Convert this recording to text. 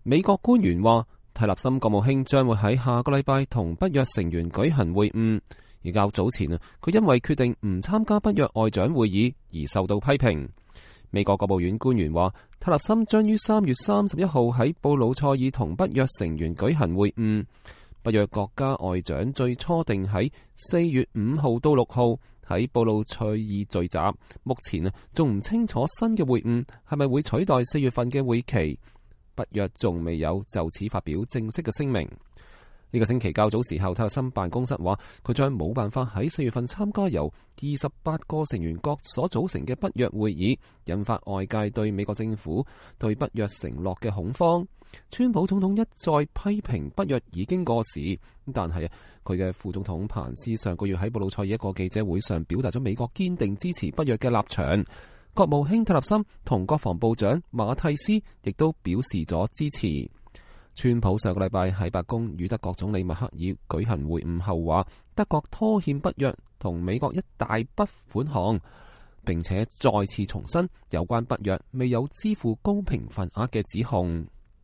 美國官員話，蒂勒森國務卿將會喺下個禮拜同北約成員舉行會晤。而較早前佢因為決定唔參加北約外長會議而受到批評。美國國務院官員話，蒂勒森將於3月31號喺布魯塞爾同北約成員舉行會晤。北約國家外長最初定喺4月5號到6號喺布魯塞爾聚集，目前仲唔清楚新嘅會晤係咪會取代4月份嘅會期。北約仲未有就此發表正式嘅聲明。呢個星期較早時候，蒂勒森辦公室話佢將冇辦法喺4月份參加由28個成員國所組成嘅北約會議，引發外界對美國政府對北約承諾嘅恐慌。川普總統一再批評北約已經過時，但係佢嘅副總統彭斯上個月喺布魯塞爾一個記者會上表達咗美國堅定支持北約嘅立場。國務卿蒂勒森同國防部長馬蒂斯亦都表示咗支持。川普上個禮拜喺白宮與德國總理默克爾舉行會晤後話，德國拖欠北約同美國一大筆款項，並且再次重申有關北約未有支付公平份額嘅指控。